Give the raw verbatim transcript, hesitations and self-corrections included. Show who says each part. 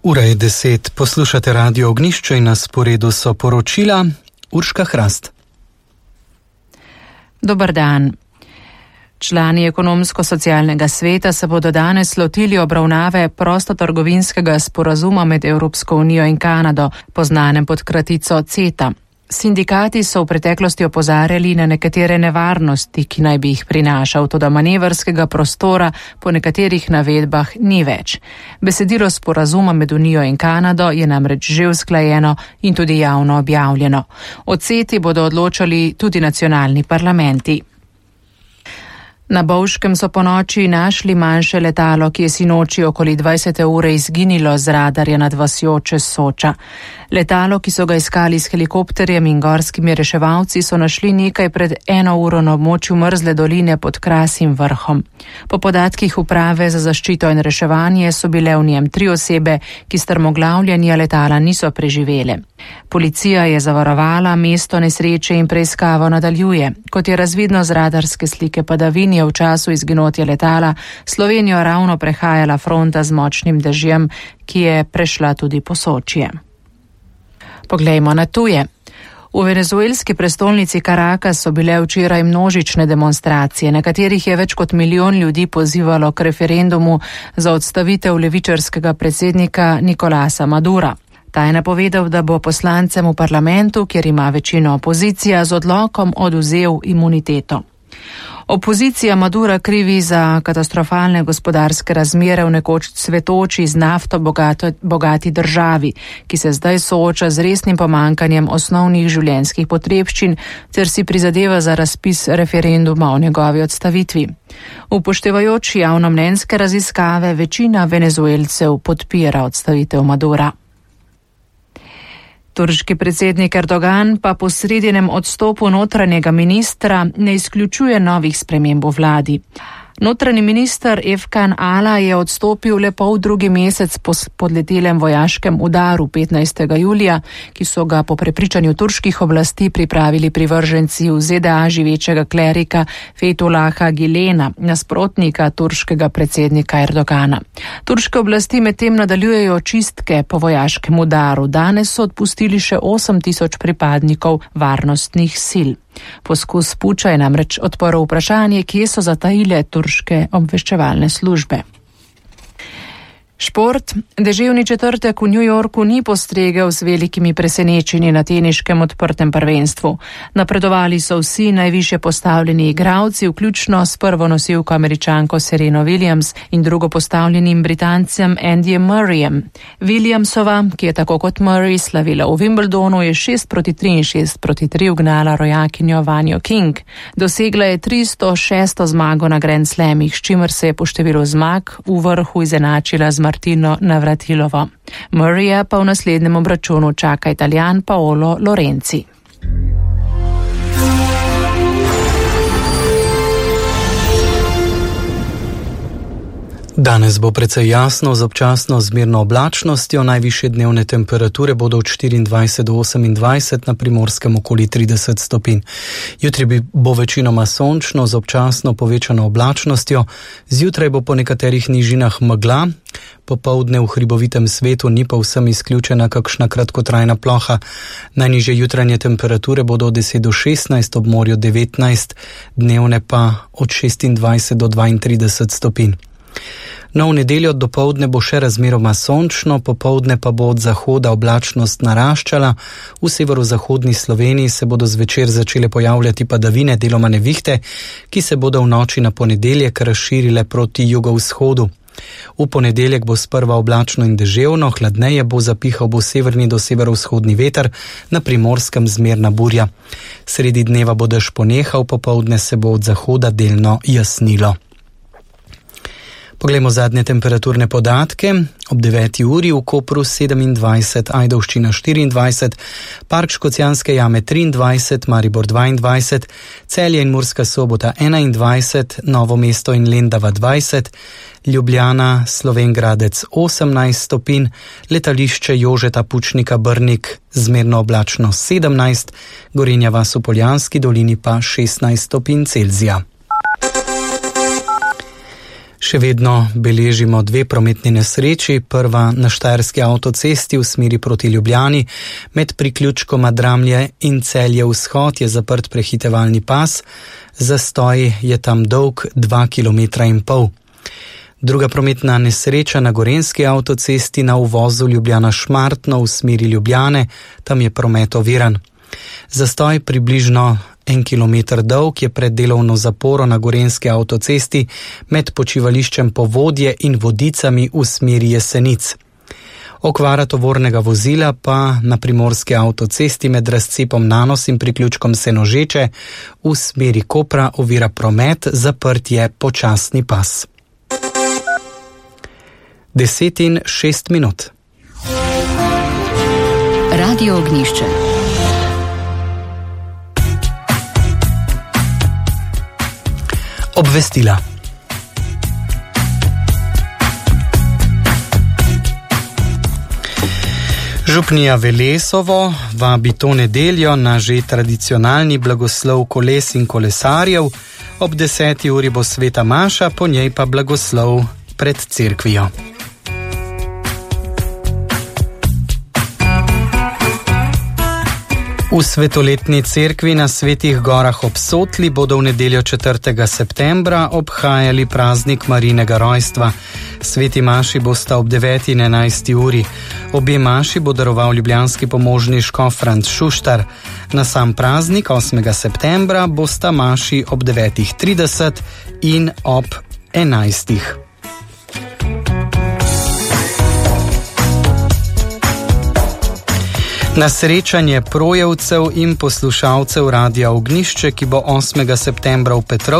Speaker 1: Ura je deset, poslušate Radio Ognjišče in na sporedu so poročila. Urška Hrast.
Speaker 2: Dobar dan. Člani ekonomsko-socialnega sveta se bodo danes lotili obravnave prostotrgovinskega sporazuma med Evropsko unijo in Kanado, poznanem pod kratico CETA. Sindikati so v preteklosti opozarjali na nekatere nevarnosti, ki naj bi jih prinašal, toda manevrskega prostora po nekaterih navedbah ni več. Besedilo sporazuma med Unijo in Kanado je namreč že usklajeno in tudi javno objavljeno. O CETI bodo odločali tudi nacionalni parlamenti. Na Bovškem so ponoči našli manjše letalo, ki je sinoči okoli dvajsete ure izginilo z radarja nad vasjo čez Soča. Letalo, ki so ga iskali s helikopterjem in gorskimi reševalci, so našli nekaj pred eno uro na območju mrzle doline pod Krasim vrhom. Po podatkih uprave za zaščito in reševanje so bile v njem tri osebe, ki strmoglavljanja letala niso preživele. Policija je zavarovala mesto nesreče in preiskavo nadaljuje. Kot je razvidno z radarske slike padavin, je v času izginotja letala Slovenijo ravno prehajala fronta z močnim dežjem, ki je prešla tudi po Sočje. Poglejmo na tuje. V venezuelski prestolnici Caracas so bile včeraj množične demonstracije, na katerih je več kot milijon ljudi pozivalo k referendumu za odstavitev levičarskega predsednika Nicolasa Madura. Ta je napovedal, da bo poslancem v parlamentu, kjer ima večino opozicija, z odlokom odvzel imuniteto. Opozicija Madura krivi za katastrofalne gospodarske razmere v nekoč cvetoči z nafto bogato, bogati državi, ki se zdaj sooča z resnim pomankanjem osnovnih življenjskih potrebščin ter si prizadeva za razpis referenduma o njegovi odstavitvi. Upoštevajoč javnomnenjske raziskave, večina venezuelcev podpira odstavitev Madura. Turški predsednik Erdogan pa po sredinem odstopu notranjega ministra ne izključuje novih sprememb v vladi. Notranji minister Efkan Ala je odstopil le pol drugi mesec po spodletelem vojaškem udaru petnajstega julija, ki so ga po prepričanju turških oblasti pripravili privrženci v Z D A živečega klerika Fethullaha Gülena, nasprotnika turškega predsednika Erdogana. Turške oblasti medtem nadaljujejo čistke po vojaškem udaru. Danes so odpustili še osem tisoč pripadnikov varnostnih sil. Poskus puča je namreč odprl vprašanje, kje so zatajile turške obveščevalne službe. Šport. Deževni četrtek v New Yorku ni postregel z velikimi presenečenji na teniškem odprtem prvenstvu. Napredovali so vsi najvišje postavljeni igralci, vključno s prvo nosilko Američanko Sereno Williams in drugo postavljenim Britancem Andyjem Murrayem. Williamsova, ki je tako kot Murray slavila v Wimbledonu, je šest proti tri in šest proti tri ugnala rojakinjo Vanjo King. Dosegla je tristo šesto zmago na Grand Slamih, s čimer se je po številu zmag v vrhu izenačila z Martino Navratilovo. Murraya pa v naslednjem obračunu čaka Italijan Paolo Lorenzi.
Speaker 1: Danes bo precej jasno z občasno zmerno oblačnostjo, najvišje dnevne temperature bodo od štiriindvajset do osemindvajset, na Primorskem okoli trideset stopinj. Jutri bo večinoma sončno z občasno povečano oblačnostjo, zjutraj bo po nekaterih nižinah megla, popoldne v hribovitem svetu ni pa vsem izključena kakšna kratkotrajna ploha. Najnižje jutranje temperature bodo od deset do šestnajst, ob morju devetnajst, dnevne pa od šestindvajset do dvaintrideset stopinj. No, v nedeljo dopoldne bo še razmeroma sončno, popoldne pa bo od zahoda oblačnost naraščala. V severozahodni Sloveniji se bodo zvečer začele pojavljati padavine, deloma nevihte, ki se bodo v noči na ponedeljek razširile proti jugovzhodu. V ponedeljek bo sprva oblačno in deževno, hladneje bo, zapihal bo severni do severovzhodni veter, na Primorskem zmerna burja. Sredi dneva bo dež ponehal, popoldne se bo od zahoda delno jasnilo. Poglejmo zadnje temperaturne podatke. Ob deveti uri v Kopru sedemindvajset, Ajdovščina štiriindvajset, Park Škocjanske jame triindvajset, Maribor dvaindvajset, Celje in Murska Sobota enaindvajset, Novo mesto in Lendava dvajset, Ljubljana, Slovenj Gradec osemnajst stopinj, letališče Jožeta Pučnika Brnik zmerno oblačno sedemnajst, Gorenja vas v Poljanski dolini pa šestnajst stopinj Celzija. Še vedno beležimo dve prometni nesreči, prva na Štajerski avtocesti v smeri proti Ljubljani, med priključkoma Dramlje in Celje vzhod je zaprt prehitevalni pas, zastoj je tam dolg dva kilometra in pol. Druga prometna nesreča na Gorenjski avtocesti na uvozu Ljubljana-Šmartno v smeri Ljubljane, tam je promet oviran. Zastoj približno en kilometer dolg je pred delovno zaporo na Gorenjski avtocesti med počivališčem Povodje in Vodicami v smeri Jesenic. Okvara tovornega vozila pa na Primorski avtocesti med razcepom Nanos in priključkom Senožeče v smeri Kopra ovira promet, zaprt je počasni pas. Deset in šest minut.
Speaker 3: Radio Ognjišče.
Speaker 1: Obvestila. Župnija Velesovo vabi to nedeljo na že tradicionalni blagoslov koles in kolesarjev. Ob deseti uri bo sveta maša, po njej pa blagoslov pred cerkvijo. V svetoletni cerkvi na Svetih gorah ob Sotli bodo v nedeljo četrtega septembra obhajali praznik Marijinega rojstva. Sveti maši bosta ob deveti in enajsti uri. Obe maši bo daroval ljubljanski pomožni škof Franc Šuštar. Na sam praznik osmega septembra bosta maši ob devetih trideset in ob enajstih. Na srečanje projevcev in poslušalcev Radia Ognjišče, ki bo osmega septembra v Petrovčah,